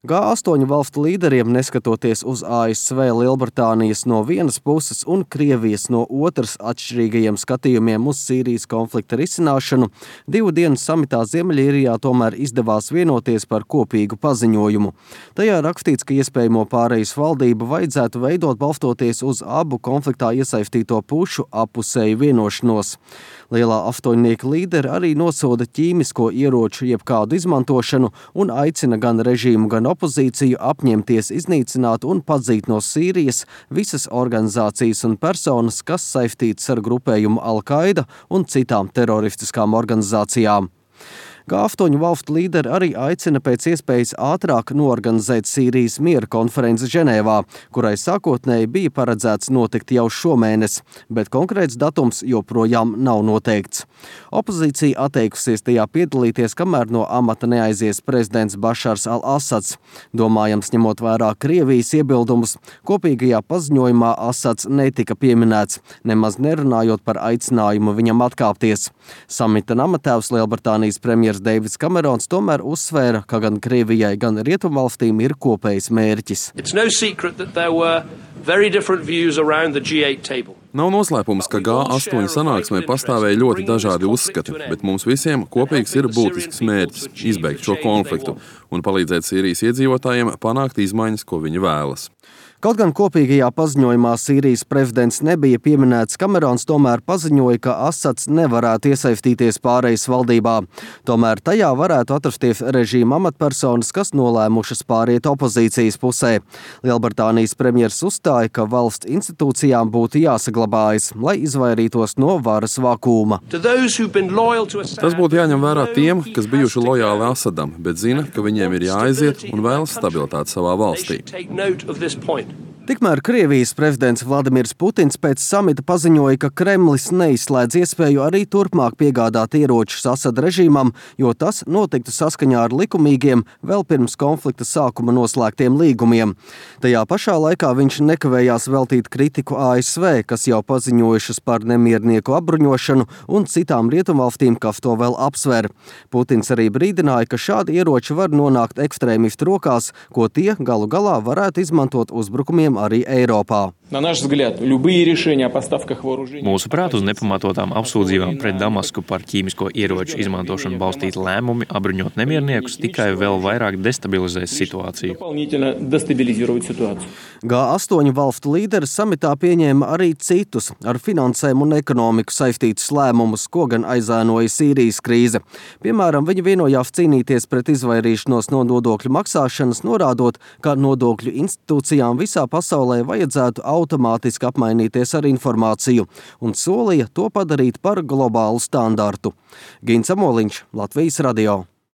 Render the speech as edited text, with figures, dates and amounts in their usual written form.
G8 valstu līderiem, neskatoties uz ASV, Lielbritānijas no vienas puses un Krievijas no otras atšķirīgajiem skatījumiem uz Sīrijas konflikta risināšanu, 2 dienu samitā Ziemeļīrijā tomēr izdevās vienoties par kopīgu paziņojumu. Tajā rakstīts, ka iespējamo pārejas valdību vajadzētu veidot balstoties uz abu konfliktā iesaistīto pušu appusēju vienošanos. Lielā astoņnieka līderi arī nosoda ķīmisko ieroču jebkādu izmantošanu un aicina gan režīmu, gan opozīciju apņemties iznīcināt un padzīt no Sīrijas visas organizācijas un personas, kas saistītas ar grupējumu Al-Qaida un citām teroristiskām organizācijām. G8 valstu līderi arī aicina pēc iespējas ātrāk noorganizēt Sīrijas miera konferenci Ženēvā, kurai sākotnēji bija paredzēts notikt jau šomēnes, bet konkrēts datums joprojām nav noteikts. Opozīcija atteikusies tajā piedalīties, kamēr no amata neaizies prezidents Bašars al-Asads. Domājams, ņemot vērā Krievijas iebildumus, kopīgajā paziņojumā Asads netika pieminēts, nemaz nerunājot par aicinājumu viņam atkāpties. Samita namatēvs Lielbritānijas premjers Deivids Kamerons tomēr uzsvēra, ka gan Krievijai, gan Rietumvalstīm ir kopējs mērķis. Nav noslēpums, ka G8 sanāksmē pastāvēja ļoti dažādi uzskati, bet mums visiem kopīgs ir būtisks mērķis – izbeigt šo konfliktu un palīdzēt Sīrijas iedzīvotājiem panākt izmaiņas, ko viņi vēlas. Kaut gan kopīgajā paziņojumā Sīrijas prezidents nebija pieminēts, Kamerons tomēr paziņoja, ka Asads nevarētu iesaistīties pārejas valdībā. Tomēr tajā varētu atrasties režīma amatpersonas, kas nolēmušas pāriet opozīcijas pusē. Lielbritānijas premjers uzstāja, ka valsts institūcijām būtu jāsaglabājas, lai izvairītos no varas vakuma. Tas būtu jāņem vērā tiem, kas bijuši lojāli Asadam, bet zina, ka viņiem ir jāaiziet un vēlas stabilitāti savā valstī. Tikmēr Krievijas prezidents Vladimirs Putins pēc samita paziņoja, ka Kremlis neizslēdz iespēju arī turpmāk piegādāt ieročus Asada režīmam, jo tas notiktu saskaņā ar likumīgiem, vēl pirms konflikta sākuma noslēgtiem līgumiem. Tajā pašā laikā viņš nekavējās veltīt kritiku ASV, kas jau paziņojušas par nemiernieku apbruņošanu un citām rietumvalstīm, kas to vēl apsver. Putins arī brīdināja, ka šādi ieroči var nonākt ekstrēmistu rokās, ko tie galu galā varētu izmantot uzbrukumiem arī Eiropā. Mūsuprāt, uz nepamatotām apsūdzībām pret Damasku par ķīmisko ieroču izmantošanu balstīti lēmumi apbruņot nemierniekus tikai vēl vairāk destabilizēs situāciju. G8 valstu līderi samitā pieņēma arī citus ar finansēm un ekonomiku saistītus lēmumus, ko gan aizēnoja Sīrijas krīze. Piemēram, viņi vienojās cīnīties pret izvairīšanos no nodokļu maksāšanas, norādot, ka nodokļu institūcijām visā pasaulē vajadzētu automātiski apmainīties ar informāciju un solīja to padarīt par globālu standartu. Gins Amoliņš, Latvijas radio.